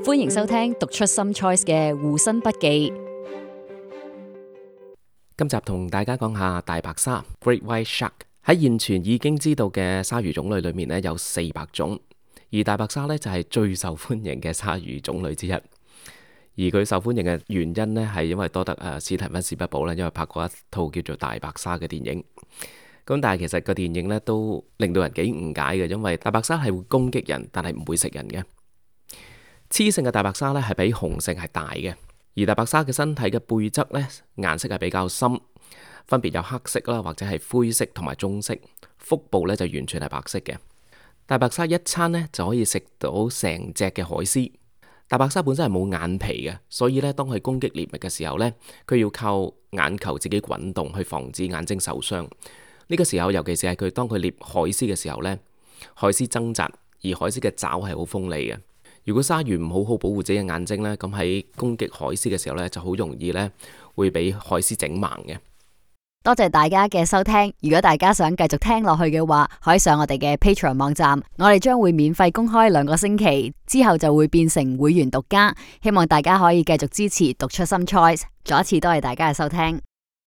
歡迎收聽讀出 Some Choice 嘅護身筆記。今集同大家講下大白鯊 Great White Shark。喺現存已經知道嘅鯊魚種類裏面呢，有400種，而大白鯊呢就係最受歡迎嘅鯊魚種類之一。而佢受歡迎嘅原因呢，係因為多得史提芬史匹堡呢，因為拍過一套叫做《大白鯊》嘅電影。咁但係其實個電影呢都令到人幾誤解嘅，因為大白鯊係會攻擊人，但係唔會食人嘅。雌性嘅大白鯊呢係比雄性係大嘅，而大白鯊嘅身體嘅背側呢顏色係比較深，分別有黑色啦，或者係灰色同埋棕色。腹部呢就完全係白色嘅。大白鯊一餐呢就可以食到成隻嘅海獅。大白鯊本身係冇眼皮嘅，所以呢當佢攻擊獵物嘅時候呢，佢要靠眼球自己滾動去防止眼睛受傷。呢個時候，尤其是係佢當佢獵海獅嘅時候呢，海獅掙扎，而海獅嘅爪係好鋒利嘅。如果鯊魚唔好好保護自己嘅眼睛呢，咁喺攻擊海獅嘅時候呢，就好容易呢會俾海獅整盲嘅。多謝大家嘅收聽。如果大家想繼續聽落去嘅話，可以上我哋嘅 Patreon 網站，我哋將會免費公開2個星期，之後就會變成會員獨家。希望大家可以繼續支持讀出 Some Choice。再一次多謝大家嘅收聽。